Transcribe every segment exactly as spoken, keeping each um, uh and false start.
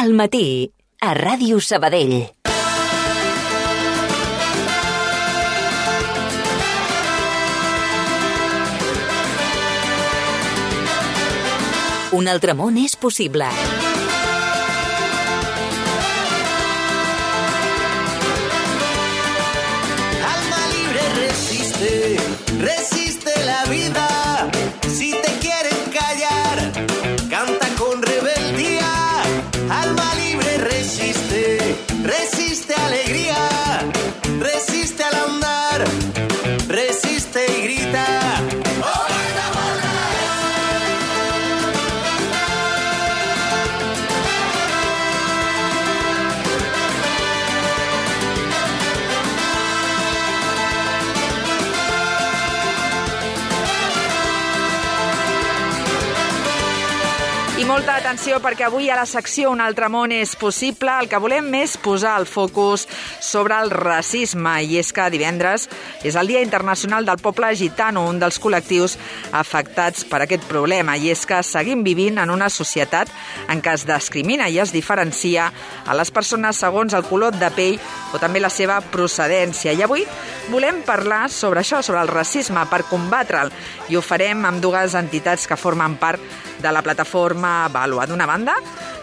Al matí, a Ràdio Sabadell. Un altre món és possible. Alma libre resiste, resiste la vida. Si te quieren callar, canta con rebeldía. Alma libre resiste, resiste alegría. Resiste al andar, resiste y grita. I molta atenció perquè avui a la secció Un altre món és possible el que volem és posar el focus sobre el racisme, i és que divendres és el Dia Internacional del Poble Gitano, un dels col·lectius afectats per aquest problema, i és que seguim vivint en una societat en què es discrimina i es diferencia a les persones segons el color de pell o també la seva procedència. I avui volem parlar sobre això, sobre el racisme, per combatre'l, i ho farem amb dues entitats que formen part de la plataforma Vàlua. D'una banda,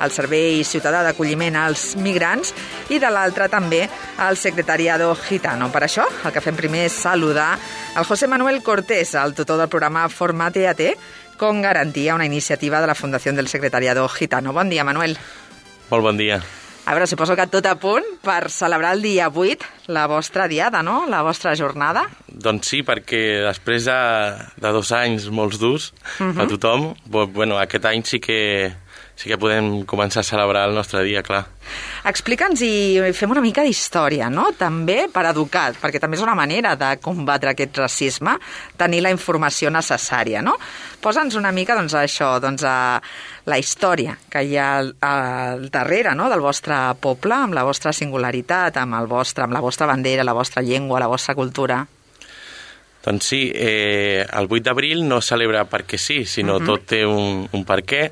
el Servei Ciutadà d'Acolliment als Migrants, i de l'altra també el Secretariado Gitano. Per això, el que fem primer és saludar el José Manuel Cortés, el tutor del programa Formate A T con Garantía, una iniciativa de la Fundació del Secretariado Gitano. Bon dia, Manuel. Molt bon dia. A veure, suposo que tot a punt per celebrar el dia vuit, la vostra diada, no?, la vostra jornada. Doncs sí, perquè després de, de dos anys molts durs uh -huh. a tothom, bueno, aquest any sí que, sí que podem començar a celebrar el nostre dia, clar. Explica'ns i fem una mica d'història, no?, també per educar, perquè també és una manera de combatre aquest racisme, tenir la informació necessària, no? Posa'ns una mica, doncs, això, doncs, a la història que hi ha al, al darrere, no?, del vostre poble, amb la vostra singularitat, amb, el vostre, amb la vostra bandera, la vostra llengua, la vostra cultura. Doncs sí, eh, el vuit d'abril no es celebra perquè sí, sinó uh -huh. tot té un, un per què,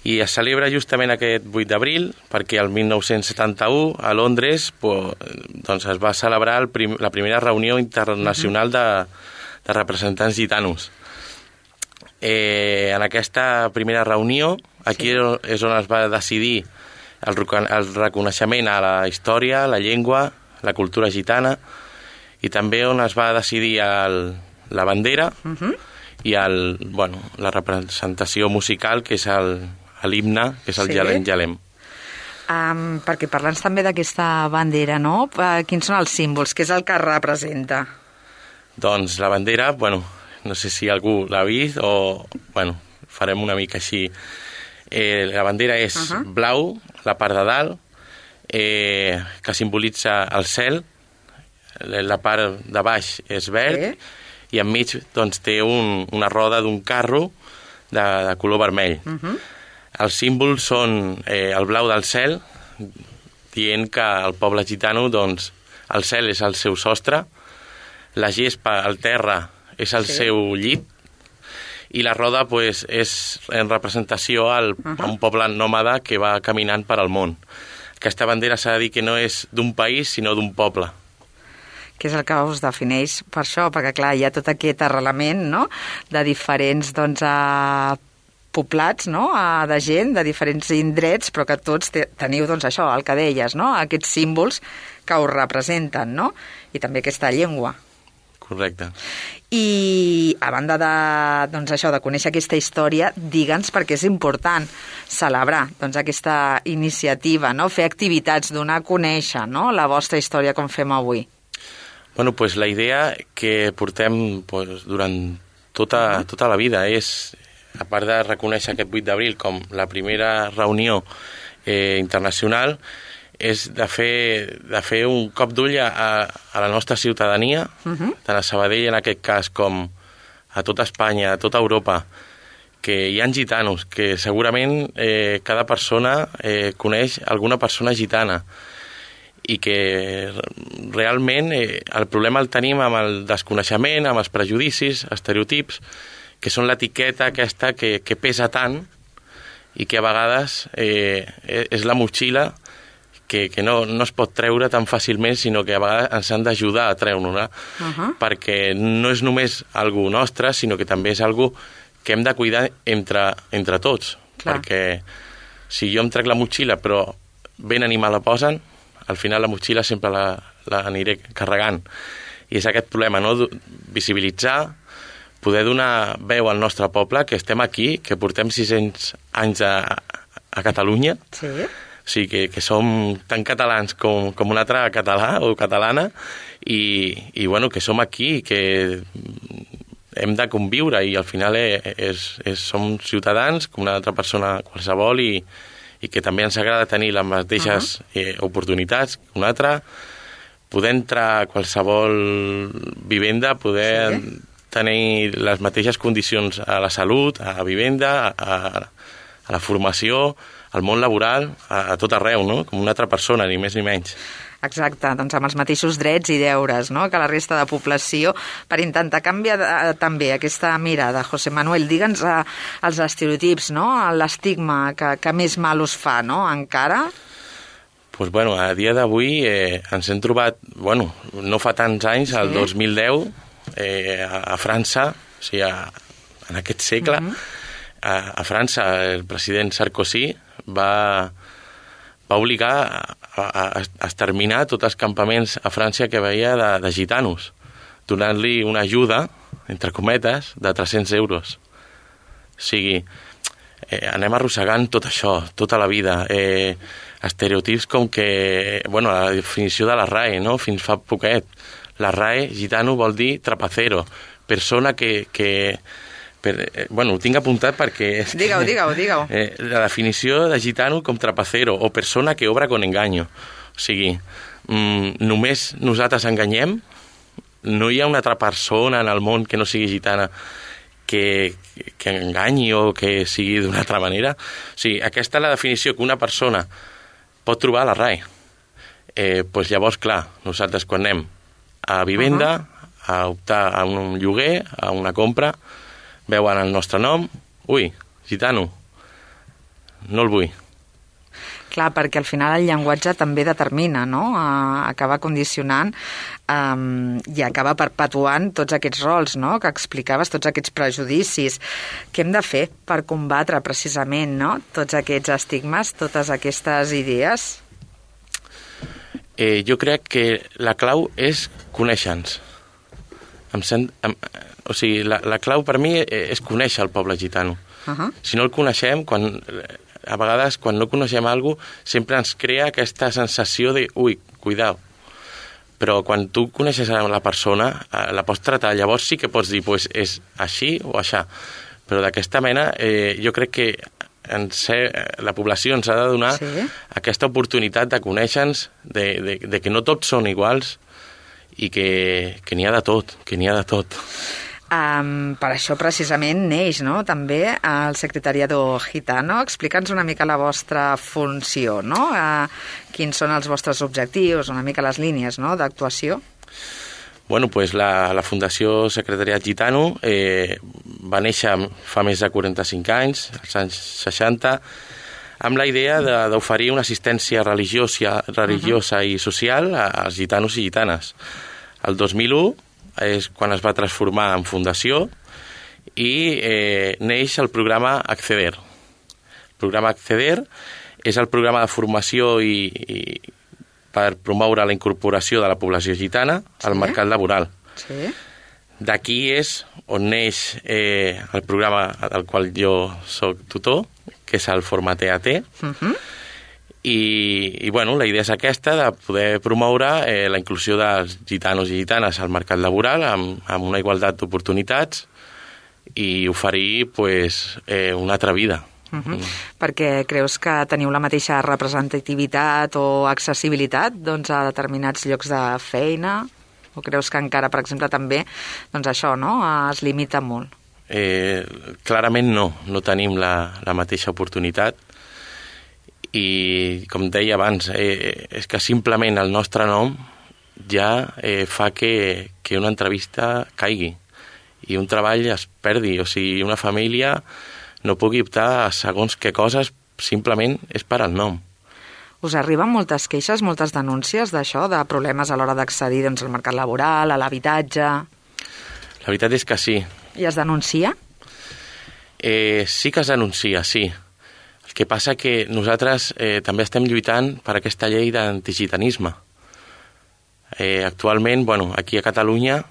i es celebra justament aquest vuit d'abril perquè el mil nou-cents setanta-u a Londres pues, doncs es va celebrar el prim, la primera reunió internacional uh -huh. de, de representants gitanos. Eh, en aquesta primera reunió, aquí sí. és on es va decidir el, el reconeixement a la història, la llengua, la cultura gitana, i també on es va decidir el, la bandera uh-huh. i el, bueno, la representació musical, que és l'himne, que és el sí. Jalem Jalem. Um, perquè parlants també d'aquesta bandera, no? Uh, quins són els símbols? Què és el que representa? Doncs la bandera, bueno, no sé si algú l'ha vist o, bueno, farem una mica així. Eh, la bandera és uh-huh. blau, la part de dalt, eh, que simbolitza el cel, la part de baix és verd sí. i enmig doncs, té un, una roda d'un carro de, de color vermell. Uh-huh. Els símbols són eh, el blau del cel, dient que el poble gitano, doncs, el cel és el seu sostre, la gespa, el terra, és el sí. seu llit, i la roda pues, és en representació al, uh-huh. a un poble nòmada que va caminant per al món. Aquesta bandera s'ha de dir que no és d'un país, sinó d'un poble. Que és el que us defineix per això, perquè clar, hi ha tot aquest arrelament, no?, de diferents, doncs, a poblats, no?, a, de gent, de diferents indrets, però que tots te, teniu, doncs, això, el que deies, no?, aquests símbols que us representen, no?, i també aquesta llengua. Correcte. I a banda de, doncs, això, de conèixer aquesta història, digue'ns perquè és important celebrar, doncs, aquesta iniciativa, no?, fer activitats, donar a conèixer, no?, la vostra història com fem avui. Bueno, pues la idea que portem pues, durant tota, tota la vida és, a part de reconèixer aquest vuit d'abril com la primera reunió eh, internacional, és de fer, de fer un cop d'ull a, a la nostra ciutadania, uh-huh. tant a Sabadell en aquest cas com a tota Espanya, a tota Europa, que hi ha gitanos, que segurament eh, cada persona eh, coneix alguna persona gitana, i que realment eh, el problema el tenim amb el desconeixement, amb els prejudicis, estereotips, que són l'etiqueta aquesta que, que pesa tant i que a vegades eh, és la motxilla que, que no, no es pot treure tan fàcilment, sinó que a vegades ens han d'ajudar a treure-la, uh-huh. perquè no és només algo nostre, sinó que també és algo que hem de cuidar entre, entre tots. Clar. Perquè si jo em trec la motxilla però ben animal la posen, al final la motxilla sempre la, la aniré carregant. I és aquest problema, no? Visibilitzar, poder donar veu al nostre poble, que estem aquí, que portem sis-cents anys a, a Catalunya, sí. O sigui, que, que som tan catalans com, com un altre català o catalana, i, i bueno, que som aquí, que hem de conviure, i al final és, és, som ciutadans com una altra persona qualsevol, i, i que també ens agrada tenir les mateixes uh-huh. eh, oportunitats que una altra, poder entrar a qualsevol vivenda, poder sí. tenir les mateixes condicions a la salut, a la vivenda, a, a la formació, al món laboral, a, a tot arreu, no? Com una altra persona, ni més ni menys. Exacte, doncs amb els mateixos drets i deures, no?, que la resta de població, per intentar canviar eh, també aquesta mirada. José Manuel, digue'ns eh, els estereotips, no?, l'estigma que, que més mal us fa, no?, encara? Pues bueno, a dia d'avui eh, ens hem trobat, bueno, no fa tants anys, el sí. dos mil deu, eh, a, a França, o sigui, a, en aquest segle, uh-huh. a, a França el president Sarkozy va, va obligar a, a, a exterminar tots els campaments a França que veia de, de gitanos, donant-li una ajuda, entre cometes, de tres-cents euros. O sigui, eh, anem arrossegant tot això, tota la vida. Eh, estereotips com que, bueno, la definició de la R A E, no?, fins fa poquet. La R A E, gitano, vol dir trapacero, persona que... que Per, eh, bueno, ho tinc apuntat perquè... Digue-ho, digue-ho, digue-ho. Eh, la definició de gitano com trapacero o persona que obra con engaño. O sigui, mm, només nosaltres enganyem, no hi ha una altra persona en el món que no sigui gitana que, que enganyi o que sigui d'una altra manera. O sigui, aquesta és la definició que una persona pot trobar a la R A E. Eh, doncs llavors, clar, nosaltres quan anem a vivenda, uh-huh. a optar a un lloguer, a una compra, veuen el nostre nom, ui, gitano, no el vull. Clar, perquè al final el llenguatge també determina, no?, uh, acaba condicionant um, i acaba perpetuant tots aquests rols, no?, que explicaves, tots aquests prejudicis. Què hem de fer per combatre precisament, no?, tots aquests estigmes, totes aquestes idees? Eh, jo crec que la clau és conèixer-nos. Em sent, em, o sigui, la, la clau per mi és conèixer el poble gitano. Uh-huh. Si no el coneixem, quan, a vegades quan no coneixem alguna cosa, sempre ens crea aquesta sensació de, ui, cuidao. Però quan tu coneixes a la persona, la pots tratar, llavors sí que pots dir, pues, és així o aixà. Però d'aquesta mena, eh, jo crec que en ser, la població ens ha de donar sí. aquesta oportunitat de conèixer-nos, de, de, de que no tots són iguals, i que, que n'hi ha de tot, que n'hi ha de tot. Um, per això precisament neix, no?, també el Secretariado Gitano. Explica'ns una mica la vostra funció, no?, uh, quins són els vostres objectius, una mica les línies, no?, d'actuació. Bueno, pues la, la Fundació Secretariat Gitano eh, va néixer fa més de quaranta-cinc anys, als anys seixanta, amb la idea d'oferir una assistència religiosa, religiosa uh-huh. i social als gitanos i gitanes. El dos mil u és quan es va transformar en fundació i eh, neix el programa Acceder. El programa Acceder és el programa de formació i, i per promoure la incorporació de la població gitana sí. al mercat laboral. Sí. D'aquí és on neix eh, el programa del qual jo soc tutor, que és el Forma T A T, uh-huh. I, i bueno, la idea és aquesta, de poder promoure eh, la inclusió dels gitanos i gitanes al mercat laboral amb, amb una igualtat d'oportunitats i oferir pues, eh, una altra vida. Uh-huh. Mm. Perquè creus que teniu la mateixa representativitat o accessibilitat doncs, a determinats llocs de feina? O creus que encara, per exemple, també doncs això, no?, es limita molt? Eh, clarament no, no tenim la, la mateixa oportunitat i, com deia abans, eh, és que simplement el nostre nom ja eh, fa que, que una entrevista caigui i un treball es perdi, o sigui, una família no pugui optar a segons què coses simplement és per al nom. Us arriben moltes queixes, moltes denúncies d'això, de problemes a l'hora d'accedir doncs, al mercat laboral, a l'habitatge? La veritat és que sí. I es denuncia? Eh, sí que es denuncia, sí. El que passa que nosaltres eh, també estem lluitant per aquesta llei d'antigitanisme. Eh, actualment, bueno, aquí a Catalunya,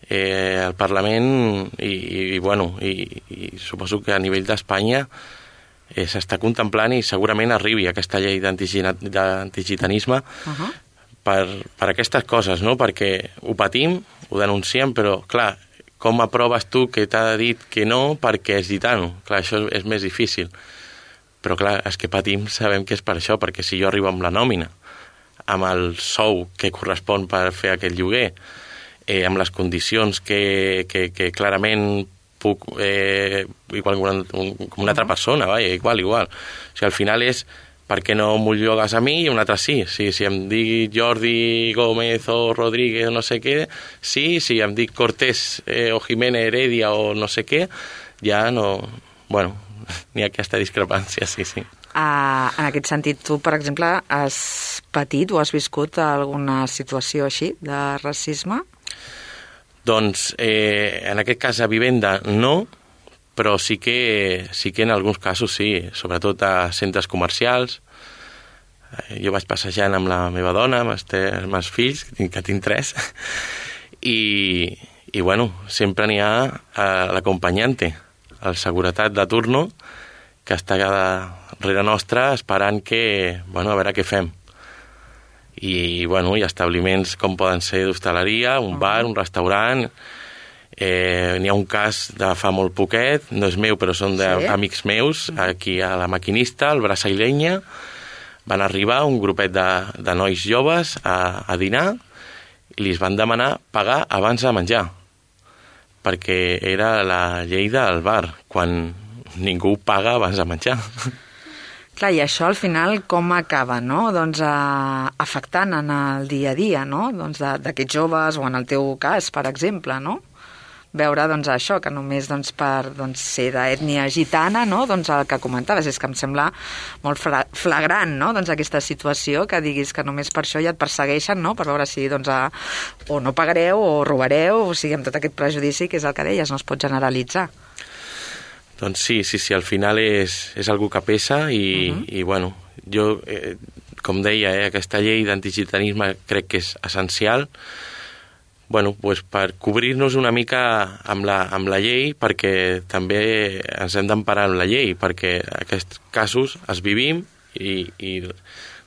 eh, el Parlament i, i, bueno, i, i suposo que a nivell d'Espanya eh, s'està contemplant i segurament arribi aquesta llei d'antigitanisme uh-huh. per, per aquestes coses, no? Perquè ho patim, ho denunciem, però clar, com aproves tu que t'ha dit que no perquè és gitano? Clar, això és més difícil. Però clar, és que patim, sabem que és per això, perquè si jo arribo amb la nòmina, amb el sou que correspon per fer aquest lloguer, eh, amb les condicions que, que, que clarament puc, eh, igual com una, com una altra persona, vaja, igual, igual. O sigui, al final és per què no m'ho llogues a mi i un altre sí. Si, si em dic Jordi Gómez o Rodríguez o no sé què, sí, si em dic Cortés eh, o Jiménez Heredia o no sé què, ja no... Bueno, n'hi ha aquesta discrepància, sí, sí. Uh, en aquest sentit, tu, per exemple, has patit o has viscut alguna situació així de racisme? Doncs, eh, en aquest cas a vivenda no, però sí que, sí que en alguns casos sí, sobretot a centres comercials. Eh, jo vaig passejant amb la meva dona, amb els meus fills, que tinc, que tinc tres, i, i bueno, sempre n'hi ha eh, l'acompanyante, el seguretat de turno, que està darrere nostra esperant que, bueno, a veure què fem. I, bueno, hi ha establiments com poden ser d'hostaleria, un bar, un restaurant. Eh, n'hi ha un cas de fa molt poquet, no és meu, però són d'amics sí? meus, aquí a la Maquinista, al Brasa i Llenya. Van arribar un grupet de, de nois joves a, a dinar i li van demanar pagar abans de menjar, perquè era la llei del bar, quan ningú paga abans de menjar. Clar, i això al final com acaba, no? Doncs eh, afectant en el dia a dia, no? Doncs d'aquests joves, o en el teu cas, per exemple, no? Veure, doncs, això, que només doncs, per doncs, ser d'ètnia gitana, no? Doncs el que comentaves, és que em sembla molt flagrant, no? Doncs aquesta situació, que diguis que només per això ja et persegueixen, no? Per veure si doncs, a, o no pagareu o robareu, o sigui, amb tot aquest prejudici, que és el que deies, no es pot generalitzar. Doncs sí, sí, sí, al final és, és algú que pesa i, uh-huh. i bueno, jo, eh, com deia, eh, aquesta llei d'antigitanisme crec que és essencial, bueno, pues per cobrir-nos una mica amb la, amb la llei, perquè també ens hem d'emparar amb la llei, perquè aquests casos els vivim i, i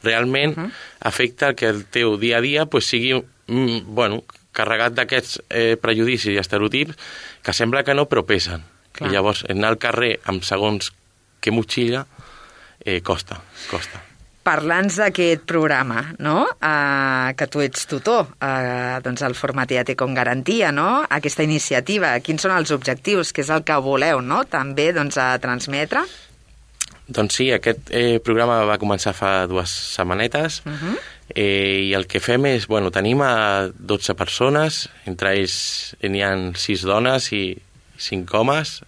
realment uh-huh. afecta que el teu dia a dia pues, sigui mm, bueno, carregat d'aquests eh, prejudicis i estereotips que sembla que no, però pesen. Clar. I llavors anar al carrer amb segons que motxilla eh, costa, costa. Parlants d'aquest programa, no? Uh, que tu ets tutor, uh, doncs el Formateate con Garantia, no? Aquesta iniciativa, quins són els objectius, què és el que voleu, no? També doncs, a transmetre? Doncs sí, aquest eh, programa va començar fa dues setmanetes uh-huh. eh, i el que fem és, bueno, tenim a dotze persones, entre ells n'hi ha sis dones i cinc homes,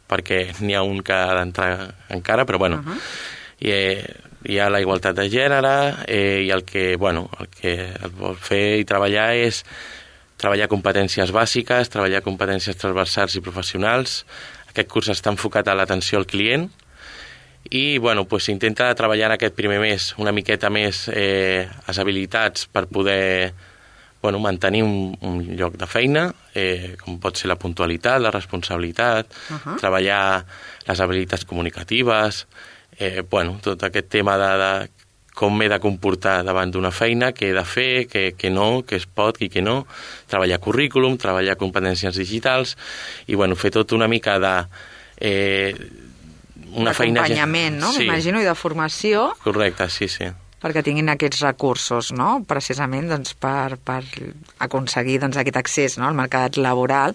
perquè n'hi ha un que ha d'entrar encara, però bueno, uh-huh. i, eh, hi ha la igualtat de gènere eh, i el que, bueno, el que el vol fer i treballar és treballar competències bàsiques, treballar competències transversals i professionals. Aquest curs està enfocat a l'atenció al client i, bueno, pues, s'intenta treballar en aquest primer mes una miqueta més eh, les habilitats per poder bueno, mantenir un, un lloc de feina, eh, com pot ser la puntualitat, la responsabilitat, uh-huh. treballar les habilitats comunicatives, eh, bueno, tot aquest tema de, de com m'he de comportar davant d'una feina, què he de fer, què, què no, què es pot i què no, treballar currículum, treballar competències digitals i, bueno, fer tot una mica de... Eh, una feina... D'acompanyament, no? Sí. M'imagino, i de formació. Correcte, sí, sí. Perquè tinguin aquests recursos, no? Precisament doncs, per, per aconseguir doncs, aquest accés, no? Al mercat laboral,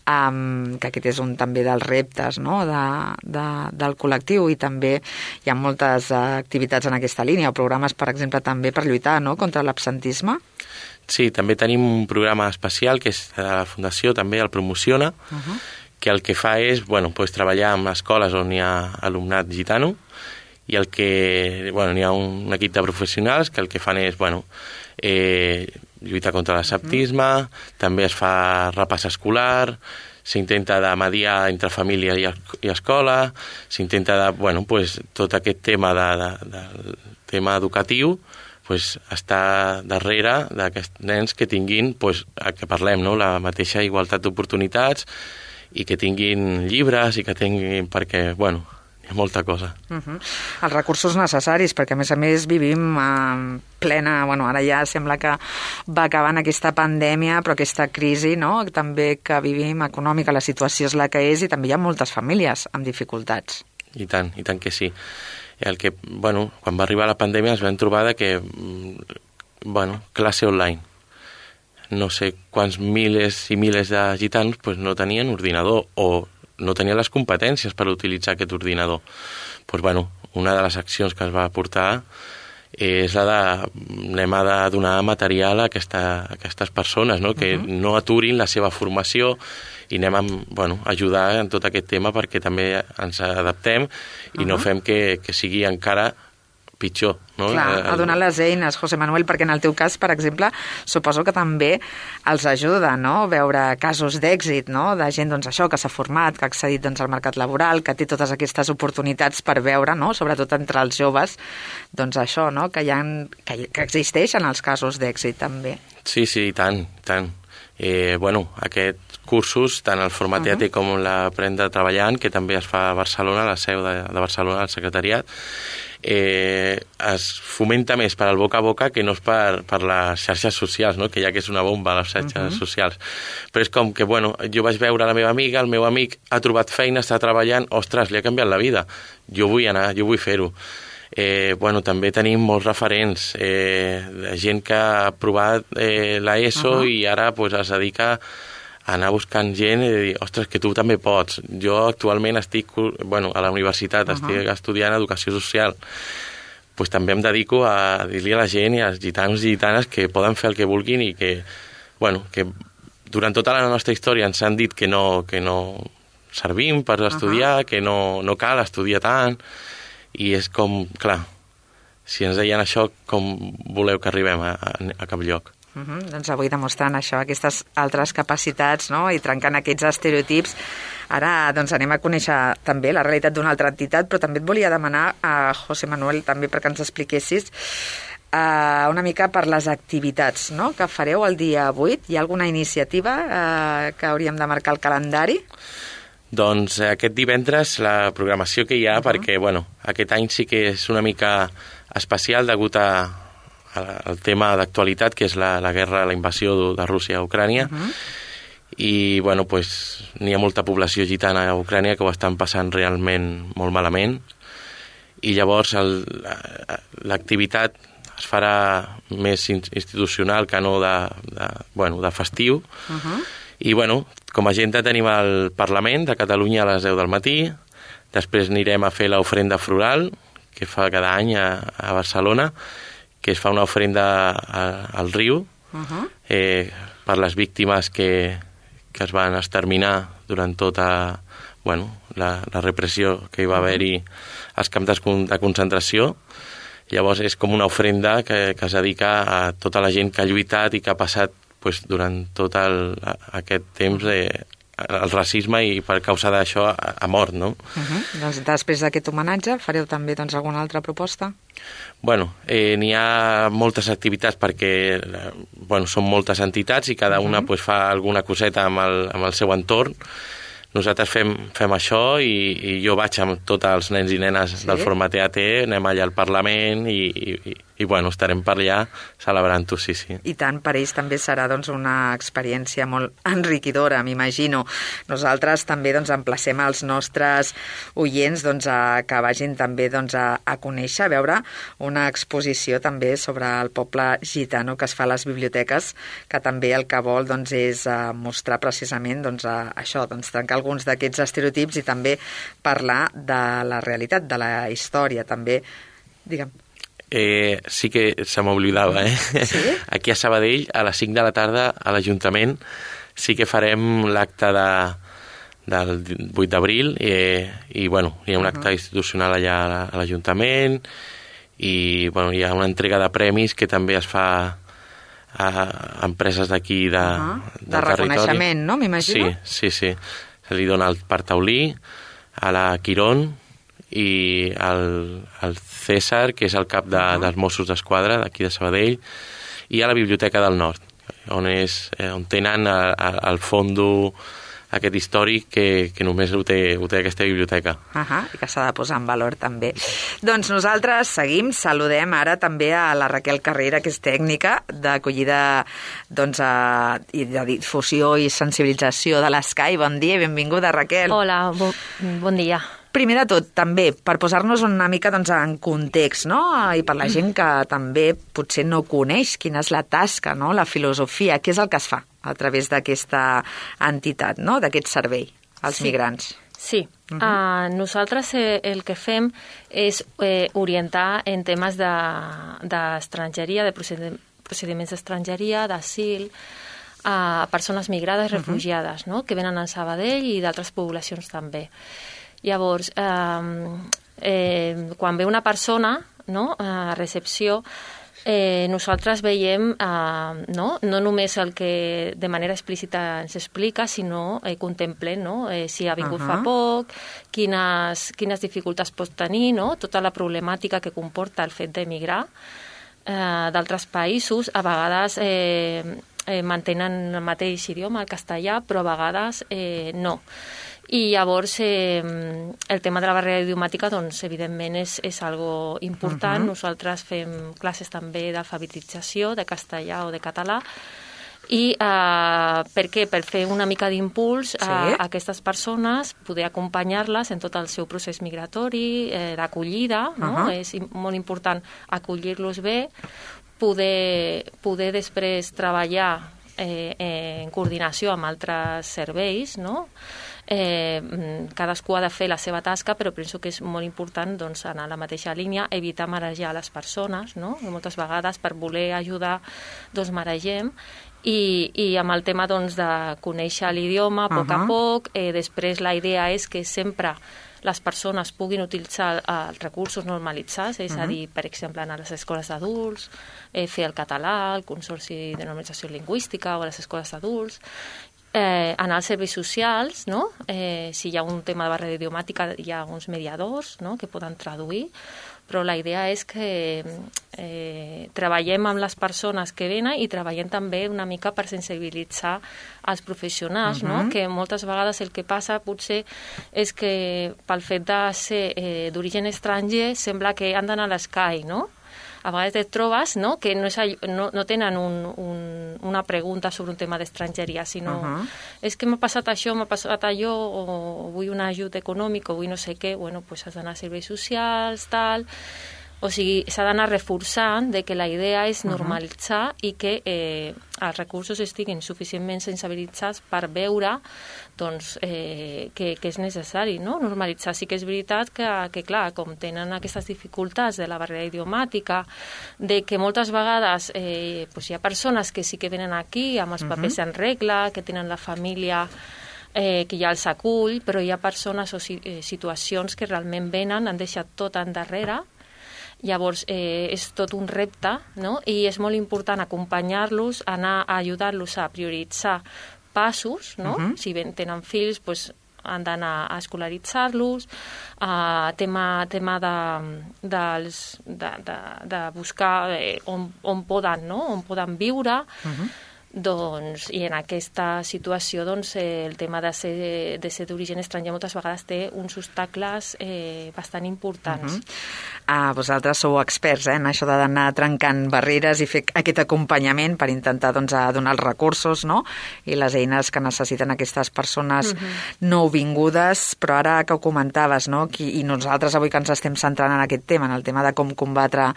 um, que aquest és un també dels reptes, no? de, de, del col·lectiu, i també hi ha moltes uh, activitats en aquesta línia, o programes, per exemple, també per lluitar, no? Contra l'absentisme. Sí, també tenim un programa especial que és de la Fundació, també el promociona, uh-huh. que el que fa és bueno, pues, treballar en escoles on hi ha alumnat gitano, i el que, bueno, n'hi ha un equip de professionals que el que fan és, bueno, eh, lluitar contra l'esceptisme, uh-huh. també es fa repàs escolar, s'intenta de mediar entre família i, i escola, s'intenta de, bueno, pues, tot aquest tema de, de, del tema educatiu, pues, està darrere d'aquests nens que tinguin, pues, el que parlem, no? La mateixa igualtat d'oportunitats i que tinguin llibres i que tinguin, perquè, bueno, hi ha molta cosa. Uh-huh. Els recursos necessaris, perquè a més a més vivim en plena, bueno, ara ja sembla que va acabant aquesta pandèmia, però aquesta crisi, no?, també que vivim econòmica, la situació és la que és i també hi ha moltes famílies amb dificultats. I tant, i tant que sí. El que, bueno, quan va arribar la pandèmia es vam trobar de que, bueno, classe online. No sé quants miles i miles de gitanos pues, no tenien ordinador o no tenia les competències per utilitzar aquest ordinador. Pues, bueno, una de les accions que es va portar és la de anem a donar material a, aquesta, a aquestes persones, no? Que uh-huh. no aturin la seva formació i anem a bueno, ajudar en tot aquest tema perquè també ens adaptem i uh-huh. no fem que, que sigui encara pitjor. No? Clar, a donar les eines, José Manuel, perquè en el teu cas, per exemple, suposo que també els ajuda, no?, veure casos d'èxit, no?, de gent, doncs, això, que s'ha format, que ha accedit, doncs, al mercat laboral, que té totes aquestes oportunitats per veure, no?, sobretot entre els joves, doncs això, no?, que, hi ha, que, que existeixen els casos d'èxit, també. Sí, sí, i tant, i tant. Eh, bueno, aquests cursos, tant el format uh-huh. E A T com l'Aprendre Treballant, que també es fa a Barcelona, a la seu de, de Barcelona, al secretariat, eh, es fomenta més per al boca a boca que no és per, per les xarxes socials, no? Que ja que és una bomba, les xarxes uh-huh. socials. Però és com que, bueno, jo vaig veure la meva amiga, el meu amic ha trobat feina, està treballant, ostres, li ha canviat la vida. Jo vull anar, jo vull fer-ho. Eh, bueno, també tenim molts referents, eh, de gent que ha provat eh, l'ESO uh-huh. i ara pues, es dedica a anar buscant gent i dir, ostres, que tu també pots. Jo actualment estic bueno, a la universitat, uh-huh. estic estudiant educació social. Pues, també em dedico a dir-li a la gent i als gitanos i gitanes que poden fer el que vulguin i que, bueno, que durant tota la nostra història ens han dit que no, que no servim per estudiar, uh-huh. que no, no cal estudiar tant. I és com, clar, si ens deien això, com voleu que arribem a, a, a cap lloc? Uh-huh. Doncs avui demostrant això, aquestes altres capacitats, no?, i trencant aquests estereotips. Ara doncs, anem a conèixer també la realitat d'una altra entitat, però també et volia demanar a José Manuel també perquè ens expliquessis uh, una mica per les activitats, no?, que fareu el dia vuit. Hi ha alguna iniciativa uh, que hauríem de marcar al calendari? Doncs aquest divendres la programació que hi ha, uh-huh. perquè bueno, aquest any sí que és una mica especial degut a, a, al tema d'actualitat, que és la, la guerra, la invasió de, de Rússia a Ucrània, uh-huh. i bueno, pues, n'hi ha molta població gitana a Ucrània que ho estan passant realment molt malament, i llavors el, l'activitat es farà més institucional que no de, de, bueno, de festiu, uh-huh. i bueno, com a agenda tenim el Parlament de Catalunya a les deu del matí, després anirem a fer l'ofrenda floral, que fa cada any a, a Barcelona, que es fa una ofrenda a, al riu, uh-huh. eh, per les víctimes que, que es van exterminar durant tota bueno, la, la repressió que hi va haver-hi als camps de, de concentració. Llavors és com una ofrenda que, que es dedica a tota la gent que ha lluitat i que ha passat pues, durant tot el, aquest temps de, el racisme i per causa d'això ha mort, no? Uh-huh. Doncs després d'aquest homenatge fareu també doncs, alguna altra proposta? Bueno, eh, n'hi ha moltes activitats perquè bueno, són moltes entitats i cada una uh-huh. pues, fa alguna coseta amb el, amb el seu entorn. Nosaltres fem, fem això i, i jo vaig amb tots els nens i nenes sí? del format E A T, anem allà al Parlament i, i, i bueno, estarem per allà celebrant-ho, sí, sí. I tant, per ells també serà doncs, una experiència molt enriquidora, m'imagino. Nosaltres també doncs, emplacem els nostres oients doncs, a, que vagin també doncs, a, a conèixer, a veure una exposició també sobre el poble gitano que es fa a les biblioteques, que també el que vol doncs, és uh, mostrar precisament doncs, a, això, doncs, trencar alguns d'aquests estereotips i també parlar de la realitat, de la història, també. Digue'm. Eh, sí que se m'oblidava, eh? Sí? Aquí a Sabadell, a les cinc de la tarda, a l'Ajuntament, sí que farem l'acte de, del vuit d'abril, i, i bueno, hi ha un acte uh-huh. institucional allà a l'Ajuntament, i bueno, hi ha una entrega de premis que també es fa a empreses d'aquí de, uh-huh. del de reconeixement, no? M'imagino? Sí, sí, sí. Se li dona el per Taulí, a la Quirón i al, al César, que és el cap de, uh-huh. dels Mossos d'Esquadra d'aquí de Sabadell, i a la Biblioteca del Nord, on, és, on tenen el fondo aquest històric que, que només ho té, ho té aquesta biblioteca. Uh-huh, i que s'ha de posar en valor també. Doncs nosaltres seguim, saludem ara també a la Raquel Carrera, que és tècnica d'acollida doncs, a, i de difusió i sensibilització de l'Escai. Bon dia i benvinguda, Raquel. Hola, bo, bon dia. Primer de tot, també, per posar-nos una mica doncs, en context, no? I per la gent que també potser no coneix quina és la tasca, no? La filosofia, què és el que es fa a través d'aquesta entitat, no? D'aquest servei als sí. migrants. Sí, uh-huh. uh, nosaltres eh, el que fem és eh, orientar en temes d'estrangeria, de, de procediments d'estrangeria, d'asil, a persones migrades, uh-huh. refugiades, no? Que venen a Sabadell i d'altres poblacions també. Llavors, eh, eh, quan ve una persona, no?, a recepció, eh, nosaltres veiem eh, no? no només el que de manera explícita ens explica, sinó eh, contemplem no? eh, si ha vingut uh-huh. fa poc, quines, quines dificultats pot tenir, no? Tota la problemàtica que comporta el fet d'emigrar eh, d'altres països. A vegades eh, eh, mantenen el mateix idioma, el castellà, però a vegades eh, no. I llavors eh, el tema de la barrera idiomàtica, doncs, evidentment, és, és algo important. Uh-huh. Nosaltres fem classes també d'alfabetització, de castellà o de català. I eh, per què? Per fer una mica d'impuls sí. a, a aquestes persones, poder acompanyar-les en tot el seu procés migratori, eh, d'acollida, no? Uh-huh. És molt important acollir-los bé, poder, poder després treballar eh, en coordinació amb altres serveis, no? Eh, cadascú ha de fer la seva tasca, però penso que és molt important doncs, anar a la mateixa línia, evitar marejar les persones, no? Moltes vegades per voler ajudar doncs maregem, i, i amb el tema doncs, de conèixer l'idioma a poc uh-huh. a poc, eh, després la idea és que sempre les persones puguin utilitzar els recursos normalitzats, és uh-huh. a dir, per exemple, anar a les escoles d'adults, eh, fer el català, el Consorci de Normalització Lingüística o a les escoles d'adults, Eh, anar als serveis socials, no? Eh, si hi ha un tema de barrera idiomàtica, hi ha uns mediadors, no?, que poden traduir, però la idea és que eh, treballem amb les persones que venen i treballem també una mica per sensibilitzar els professionals, uh-huh. no? Que moltes vegades el que passa potser és que pel fet de ser eh, d'origen estranger sembla que han d'anar a l'Escai, no? A vegades et trobes no? que no, és, no, no tenen un, un, una pregunta sobre un tema d'estrangeria, sinó uh-huh. és que m'ha passat això, m'ha passat allò, o vull un ajut econòmic, o vull no sé què, bueno, pues has d'anar a serveis socials, tal. O sigui, s'ha d'anar reforçant de que la idea és normalitzar uh-huh. i que eh, els recursos estiguin suficientment sensibilitzats per veure doncs, eh, que, que és necessari, no? Normalitzar. Sí que és veritat que, que, clar, com tenen aquestes dificultats de la barrera idiomàtica, de que moltes vegades eh, pues hi ha persones que sí que venen aquí amb els papers uh-huh. en regla, que tenen la família eh, que ja els acull, però hi ha persones o si, eh, situacions que realment venen, han deixat tot endarrere. Llavors, eh, és tot un repte, no? I és molt important acompanyar-los, anar a ajudar-los a prioritzar passos, no? Uh-huh. Si ben tenen fills, doncs, han d'anar a escolaritzar-los, uh, tema, tema de, dels, de, de, de buscar eh, on, on poden, no? On poden viure, uh-huh. Doncs, i en aquesta situació doncs, eh, el tema de ser, de ser d'origen estranger moltes vegades té uns obstacles eh, bastant importants. Uh-huh. Ah, vosaltres sou experts eh, en això d'anar trencant barreres i fer aquest acompanyament per intentar doncs, donar els recursos, no? I les eines que necessiten aquestes persones uh-huh. nouvingudes, però ara que ho comentaves, no? I nosaltres avui que ens estem centrant en aquest tema, en el tema de com combatre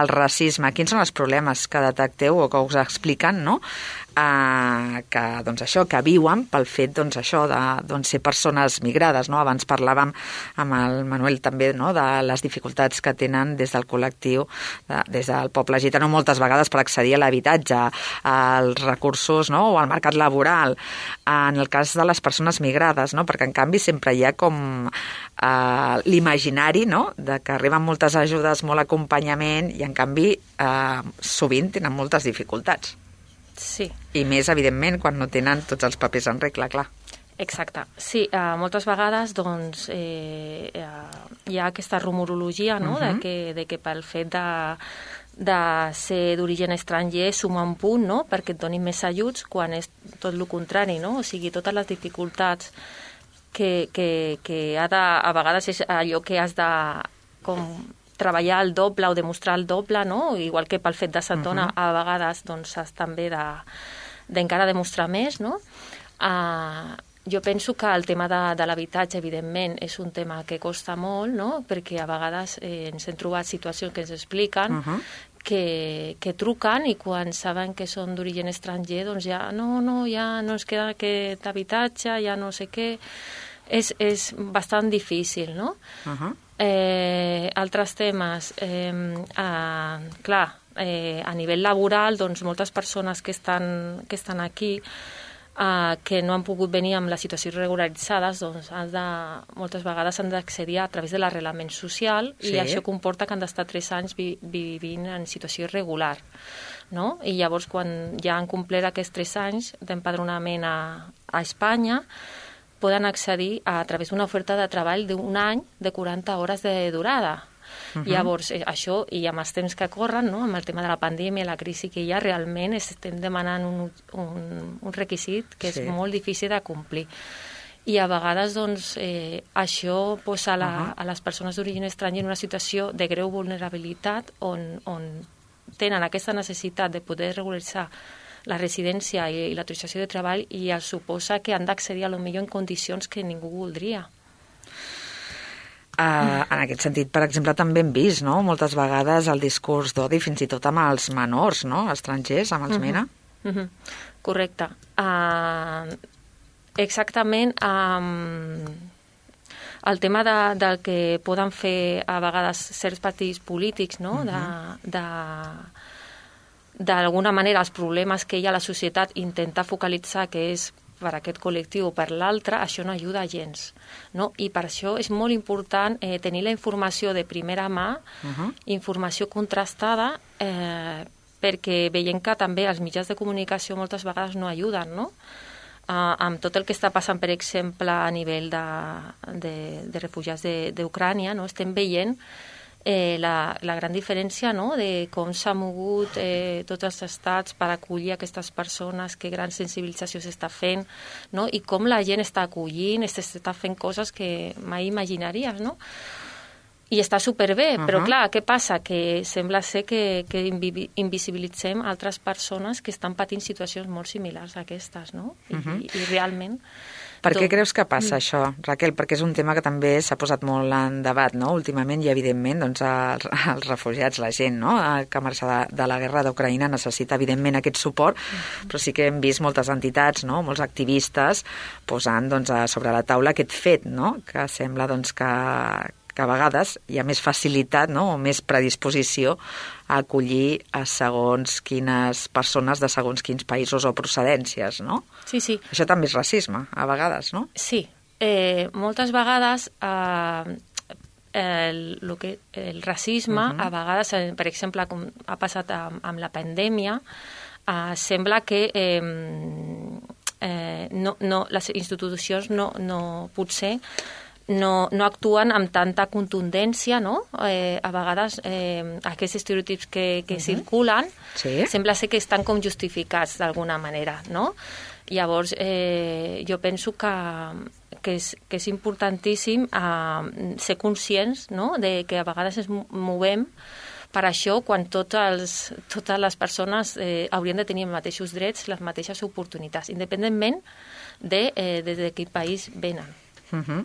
el racisme, quins són els problemes que detecteu o que us expliquen, no? eh, que, doncs, això, que viuen pel fet doncs, això, de doncs, ser persones migrades. No? Abans parlàvem amb el Manuel també, no? De les dificultats que tenen des del col·lectiu, de, des del poble gitano, moltes vegades per accedir a l'habitatge, als recursos, no? O al mercat laboral. En el cas de les persones migrades, no? Perquè en canvi sempre hi ha com eh, l'imaginari, no? De que arriben moltes ajudes, molt acompanyament, i en canvi eh, sovint tenen moltes dificultats. Sí. I més, evidentment, quan no tenen tots els papers en regla, clar. Exacte. Sí, uh, moltes vegades doncs, eh, uh, hi ha aquesta rumorologia, no? Uh-huh. de, que, de que pel fet de, de ser d'origen estranger suma un punt, no? Perquè et donin més ajuts, quan és tot el contrari, no? O sigui, totes les dificultats que, que, que ha de, a vegades és allò que has de com treballar el doble o demostrar el doble, no? Igual que pel fet de ser dona, uh-huh. a vegades doncs, has també de, d'encara demostrar més, no? Uh, jo penso que el tema de, de l'habitatge, evidentment, és un tema que costa molt, no? Perquè a vegades eh, ens hem trobat situacions que ens expliquen uh-huh. que, que truquen i quan saben que són d'origen estranger, doncs ja no, no, ja no ens queda aquest habitatge, ja no sé què. És, és bastant difícil, no? Uh-huh. Eh, altres temes, eh, eh, clar, eh, a nivell laboral, doncs moltes persones que estan, que estan aquí, eh, que no han pogut venir amb la situació regularitzades, doncs han de, moltes vegades han d'accedir a través de l'arrelament social, sí. I això comporta que han d'estar tres anys vi, vivint en situació irregular, no? I llavors, quan ja han complert aquests tres anys d'empadronament a, a Espanya, poden accedir a través d'una oferta de treball d'un any de quaranta hores de durada. Uh-huh. Llavors, eh, això, i amb els temps que corren, no? Amb el tema de la pandèmia, la crisi que hi ha, realment estem demanant un, un, un requisit que sí. És molt difícil de complir. I a vegades, doncs, eh, això posa la, uh-huh. a les persones d'origen estranger en una situació de greu vulnerabilitat on, on tenen aquesta necessitat de poder regularitzar la residència i l'autorització de treball i es suposa que han d'accedir a lo millor en condicions que ningú voldria. Uh, en aquest sentit, per exemple, també hem vist, no?, moltes vegades el discurs d'odi, fins i tot amb els menors, no?, estrangers, amb els uh-huh. MENA. Uh-huh. Correcte. Uh, exactament, um, el tema de, del que poden fer a vegades certs partits polítics, no?, uh-huh. de... de d'alguna manera els problemes que hi ha a la societat, intentar focalitzar que és per aquest col·lectiu o per l'altre, això no ajuda gens, no? I per això és molt important eh, tenir la informació de primera mà, uh-huh. informació contrastada, eh, perquè veiem que també els mitjans de comunicació moltes vegades no ajuden, no? Uh, amb tot el que està passant, per exemple, a nivell de, de, de refugiats d'Ucrània, no? Estem veient Eh, la, la gran diferència, no?, de com s'ha mogut eh, tots els estats per acollir aquestes persones, que gran sensibilització s'està fent, no?, i com la gent està acollint, s'està fent coses que mai imaginaries, no? I està superbé, uh-huh. però clar, què passa? Que sembla ser que, que invisibilitzem altres persones que estan patint situacions molt similars a aquestes, no? I, uh-huh. i, i realment... Per què creus que passa això, Raquel? Perquè és un tema que també s'ha posat molt en debat, no?, últimament, i evidentment doncs, els, els refugiats, la gent, no?, que marxa de, de la guerra d'Ucraïna necessita evidentment aquest suport, però sí que hem vist moltes entitats, no?, molts activistes posant doncs, sobre la taula aquest fet, no?, que sembla doncs, que, que a vegades hi ha més facilitat, no?, o més predisposició a acollir a segons quines persones de segons quins països o procedències, no? Sí, sí. Això també és racisme, a vegades, no? Sí. Eh, moltes vegades eh, el, lo que, el racisme, uh-huh. a vegades, eh, per exemple, com ha passat amb, amb la pandèmia, eh, sembla que eh, eh, no, no, les institucions no, no potser no, no actuen amb tanta contundència, no? Eh, a vegades eh, aquests estereotips que, que uh-huh. circulen sí. sembla ser que estan com justificats d'alguna manera, no? Llavors, eh, jo penso que, que, és, que és importantíssim eh, ser conscients, no?, de que a vegades ens movem per això quan tots els, totes les persones eh, haurien de tenir els mateixos drets, les mateixes oportunitats, independentment de, eh, de, de quin país venen. Uh-huh.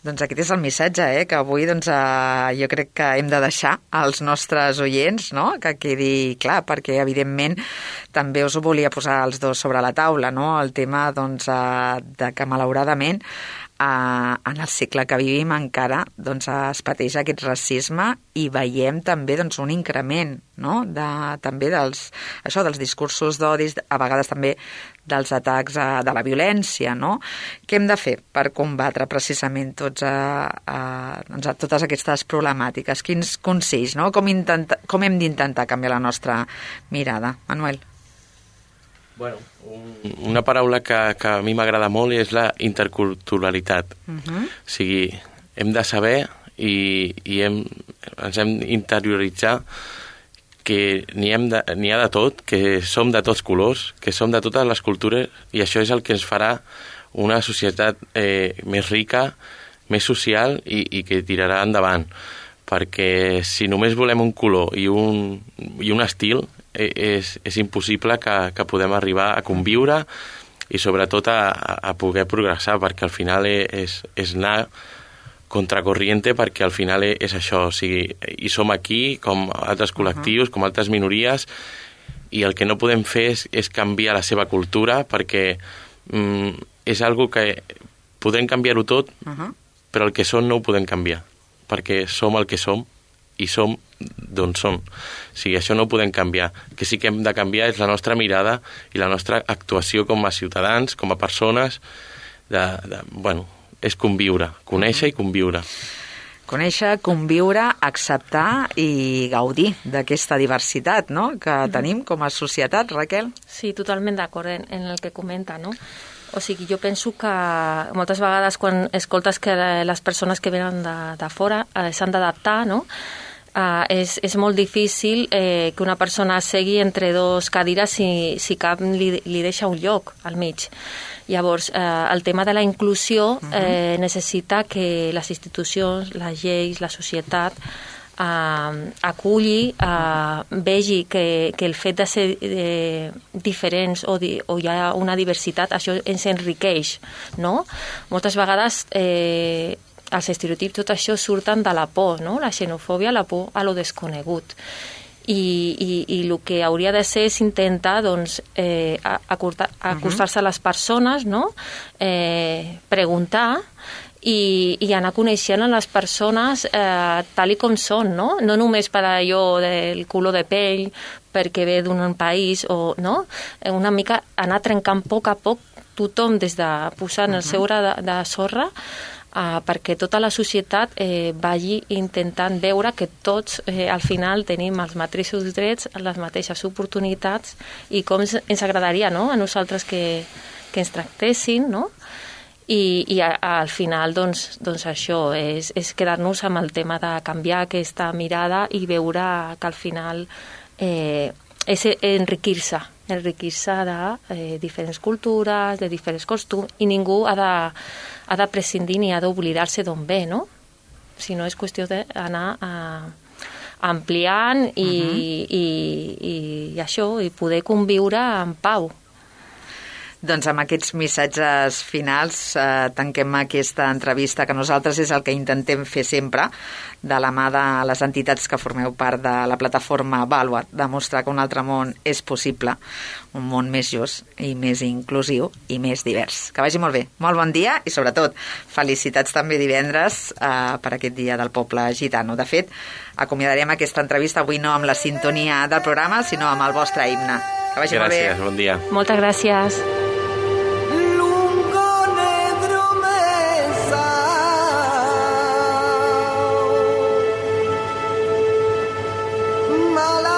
Doncs aquest és el missatge, eh, que avui doncs, eh, jo crec que hem de deixar als nostres oients, no?, que quedi clar, perquè evidentment també us ho volia posar els dos sobre la taula, no?, el tema doncs, eh, de que malauradament Uh, en el segle que vivim encara doncs, es pateix aquest racisme i veiem també doncs, un increment, no?, de, també dels, això, dels discursos d'odis, a vegades també dels atacs a, de la violència, no? Què hem de fer per combatre precisament tots a, a, doncs, a totes aquestes problemàtiques? Quins consells, no? Com, intenta, com hem d'intentar canviar la nostra mirada? Manuel? Bueno, un, una paraula que, que a mi m'agrada molt és la interculturalitat. Uh-huh. O sigui, hem de saber i, i hem, ens hem d'interioritzar que n'hi ha de tot, que som de tots colors, que som de totes les cultures, i això és el que ens farà una societat eh, més rica, més social i, i que tirarà endavant. Perquè si només volem un color i un, i un estil, és, és impossible que, que podem arribar a conviure i sobretot a, a poder progressar, perquè al final és, és anar contracorriente, perquè al final és això, o sigui, i som aquí com altres col·lectius, com altres minories, i el que no podem fer és, és canviar la seva cultura, perquè mm, és algo que podem canviar-ho tot, uh-huh. però el que som no ho podem canviar, perquè som el que som i som d'on som. O sigui, això no ho podem canviar. El que sí que hem de canviar és la nostra mirada i la nostra actuació com a ciutadans, com a persones, de, de, bueno, és conviure, conèixer i conviure. Conèixer, conviure, acceptar i gaudir d'aquesta diversitat, no?, que tenim com a societat, Raquel. Sí, totalment d'acord en, en el que comenta, no? O sigui, jo penso que moltes vegades quan escoltes que les persones que venen de, de fora eh, s'han d'adaptar, no?, Uh, és, és molt difícil eh, que una persona segui entre dos cadires si, si cap li, li deixa un lloc al mig. Llavors, eh, el tema de la inclusió eh, necessita que les institucions, les lleis, la societat eh, aculli, eh, vegi que, que el fet de ser eh, diferents o, di, o hi ha una diversitat, això ens enriqueix, no? Moltes vegades eh, els estereotips, tot això surten de la por, no? La xenofòbia, la por a lo desconegut. I, i, i el que hauria de ser és intentar doncs, eh, acostar-se a les persones, no? eh, preguntar i, i anar coneixent a les persones eh, tal i com són, no? No només per allò del color de pell, perquè ve d'un país, o, no? Una mica anar trencant a poc a poc tothom des de posar en el seu gra de, de sorra, Uh, perquè tota la societat eh, vagi intentant veure que tots eh, al final tenim els mateixos drets, les mateixes oportunitats i com ens, ens agradaria, no?, a nosaltres que, que ens tractessin, no? I, i a, a, al final doncs, doncs això és, és quedar-nos amb el tema de canviar aquesta mirada i veure que al final eh, és enriquir-se enriquir-se de eh, diferents cultures, de diferents costums, i ningú ha de, ha de prescindir ni ha d'oblidar-se d'on ve, no? Si no és qüestió d'anar uh, ampliant i, uh-huh. i, i, i això, i poder conviure en pau. Doncs amb aquests missatges finals eh, tanquem aquesta entrevista, que nosaltres és el que intentem fer sempre, de la mà de les entitats que formeu part de la plataforma Vàlua, demostrar que un altre món és possible, un món més just i més inclusiu i més divers. Que vagi molt bé, molt bon dia i sobretot felicitats també divendres eh, per aquest dia del poble gitano. De fet, acomiadarem aquesta entrevista avui no amb la sintonia del programa, sinó amb el vostre himne. Que vagi molt bé. Gràcies, bon dia. Moltes gràcies. Mala